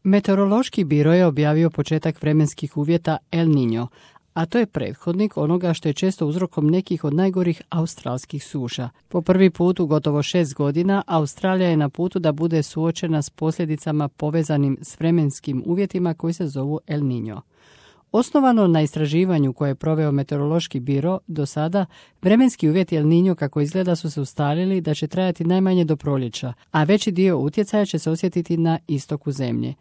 Meteorološki biro je objavio početak vremenskih uvjeta El Niño, a to je prethodnik onoga što je često uzrokom nekih od najgorih australskih suša. Po prvi put u gotovo 6 godina Australija je na putu da bude suočena s posljedicama povezanim s vremenskim uvjetima koji se zovu El Niño. Osnovano na istraživanju koje je proveo Meteorološki biro, do sada vremenski uvjeti El Niño kako izgleda su se ustalili da će trajati najmanje do proljeća, a veći dio utjecaja će se osjetiti na istoku zemlje.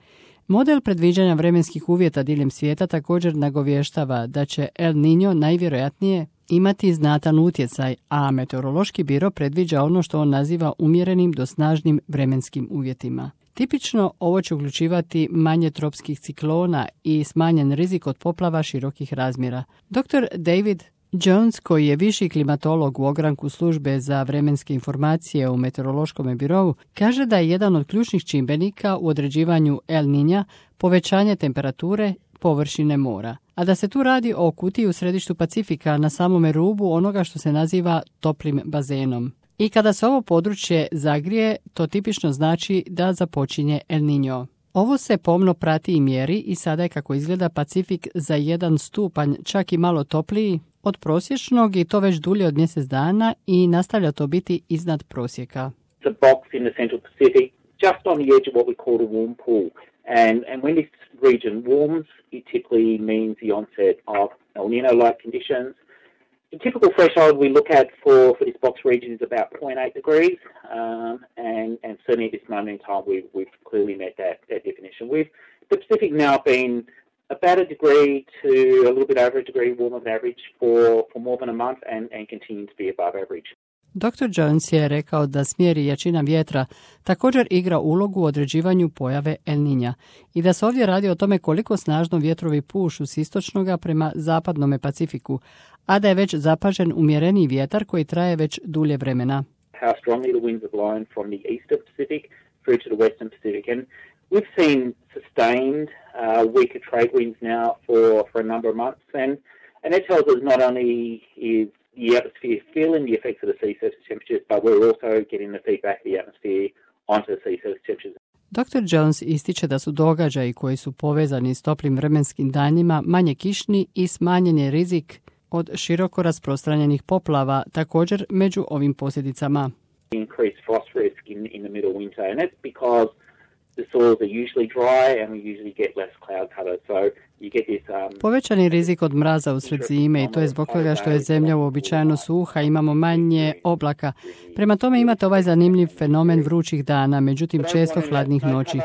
Model predviđanja vremenskih uvjeta diljem svijeta također nagovještava da će El Niño najvjerojatnije imati znatan utjecaj, a Meteorološki biro predviđa ono što on naziva umjerenim do snažnim vremenskim uvjetima. Tipično ovo će uključivati manje tropskih ciklona i smanjen rizik od poplava širokih razmjera. Dr. David Jones, koji je viši klimatolog u ogranku službe za vremenske informacije u Meteorološkom birovu, kaže da je jedan od ključnih čimbenika u određivanju El Niña povećanje temperature površine mora, a da se tu radi o kutiji u središtu Pacifika na samome rubu onoga što se naziva toplim bazenom. I kada se ovo područje zagrije, to tipično znači da započinje El Niño. Ovo se pomno prati i mjeri i sada je kako izgleda Pacifik za 1 stupanj, čak i malo topliji od prosječnog i to već dulje od mjesec dana i nastavlja to biti iznad prosjeka. It's a box in the central Pacific, just on the edge of what we call a warm pool. And when this region warms, it typically means the onset of El Niño-like conditions. The typical threshold we look at for this box region is about 0.8 degrees, and certainly at this moment in time we've clearly met that definition. With the Pacific now been about a degree to a little bit over a degree warmer than average for more than a month and continuing to be above average. Dr. Jones je rekao da smjer i jačina vjetra također igra ulogu u određivanju pojave El Niña i da se ovdje radi o tome koliko snažno vjetrovi pušu s istočnoga prema zapadnome Pacifiku, a da je već zapažen umjereniji vjetar koji traje već dulje vremena. How strongly the winds are blowing from the eastern Pacific through to the western Pacific, and we've seen sustained weaker trade winds now for a number of months, and that tells us not only is the atmosphere feeling the effects of the sea surface temperatures, but we're also getting the feedback of the atmosphere onto the sea surface temperatures. Dr. Jones ističe da su događaji koji su povezani s toplim vremenskim danima manje kišni i smanjen je rizik od široko rasprostranjenih poplava također među ovim posljedicama. Increased frost risk in the middle winter, and that's because the soils are usually dry and we usually get less cloud cover, so you get this povećani rizik od mraza usred zime i to je zbog toga što je zemlja uobičajeno suha, imamo manje oblaka. Prema tome imate ovaj zanimljiv fenomen vrućih dana, međutim često hladnih noći,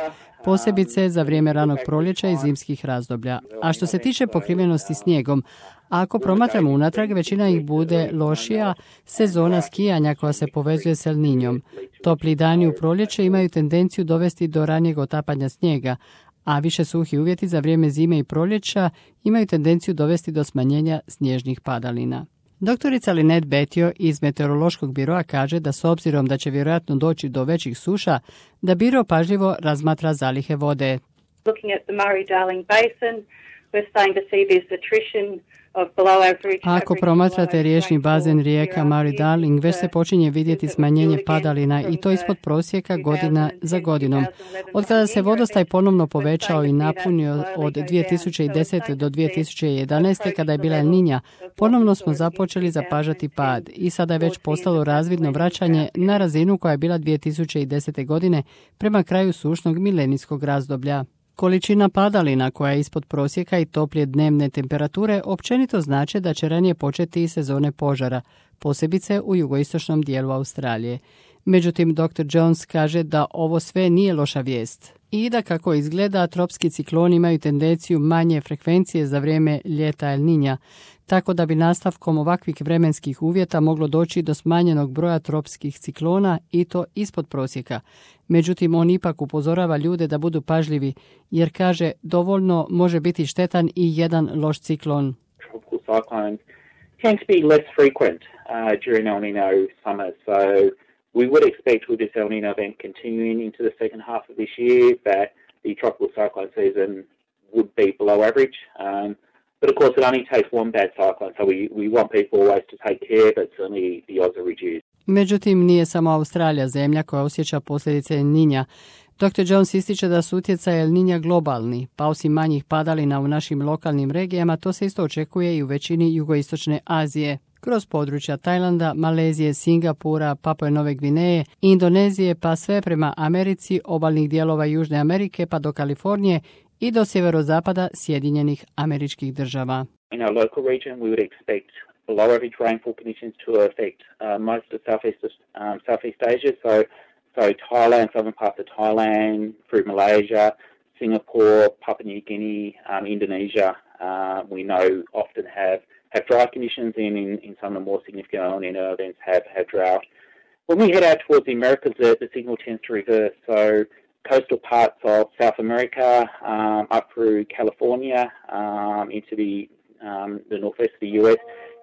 posebice za vrijeme ranog proljeća i zimskih razdoblja. A što se tiče pokrivenosti snijegom, ako promatramo unatrag, većina ih bude lošija, sezona skijanja koja se povezuje s El Niñom. Topli dani u proljeće imaju tendenciju dovesti do ranijeg otapanja snijega, a više suhi uvjeti za vrijeme zime i proljeća imaju tendenciju dovesti do smanjenja snježnih padalina. Doktorica Lynette Betio iz Meteorološkog biroa kaže da s obzirom da će vjerojatno doći do većih suša, da biro pažljivo razmatra zalihe vode. Looking at the Murray-Darling Basin, we're starting to see this attrition of below average. Ako promatrate riječni bazen rijeka Murray-Darling, već se počinje vidjeti smanjenje padalina i to ispod prosjeka godina za godinom. Od kada se vodostaj ponovno povećao i napunio od 2010. do 2011. kada je bila El Niña, ponovno smo započeli zapažati pad i sada je već postalo razvidno vraćanje na razinu koja je bila 2010. godine prema kraju sušnog milenijskog razdoblja. Količina padalina koja je ispod prosjeka i toplije dnevne temperature općenito znači da će ranije početi i sezone požara, posebice u jugoistočnom dijelu Australije. Međutim, Dr. Jones kaže da ovo sve nije loša vijest i da kako izgleda tropski cikloni imaju tendenciju manje frekvencije za vrijeme ljeta El Niña, tako da bi nastavkom ovakvih vremenskih uvjeta moglo doći do smanjenog broja tropskih ciklona i to ispod prosjeka. Međutim, on ipak upozorava ljude da budu pažljivi, jer kaže dovoljno može biti štetan i jedan loš ciklon. Tropical cyclones tend to be less frequent during El Niño summer, so we would expect with this El Niño event continuing into the second half of this year that the tropical cyclone season would be below average. But of course it only takes one bad cyclone, so we want people always to take care, but certainly the odds are reduced. Međutim, nije samo Australija zemlja koja osjeća posljedice El Niña. Dr. Jones ističe da su utjecaj El Niña globalni, pa osim manjih padalina u našim lokalnim regijama, to se isto očekuje i u većini jugoistočne Azije. Kroz područja Tajlanda, Malezije, Singapura, Papue Nove Gvineje, Indonezije pa sve prema Americi, obalnih dijelova Južne Amerike pa do Kalifornije i do sjeverozapada Sjedinjenih Američkih Država. In our local region we would expect below average rainfall conditions to affect most of Southeast Asia, so Thailand, southern parts of Thailand, through Malaysia, Singapore, Papua New Guinea, Indonesia. We know often have dry conditions, and in some of the more significant El Niño events have drought. When we head out towards the Americas, the signal tends to reverse. So coastal parts of South America, up through California, into the northwest of the US,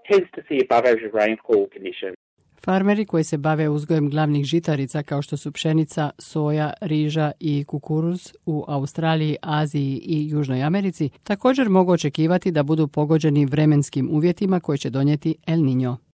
tends to see above average rainfall conditions. Farmeri koji se bave uzgojem glavnih žitarica kao što su pšenica, soja, riža i kukuruz u Australiji, Aziji i Južnoj Americi također mogu očekivati da budu pogođeni vremenskim uvjetima koje će donijeti El Niño.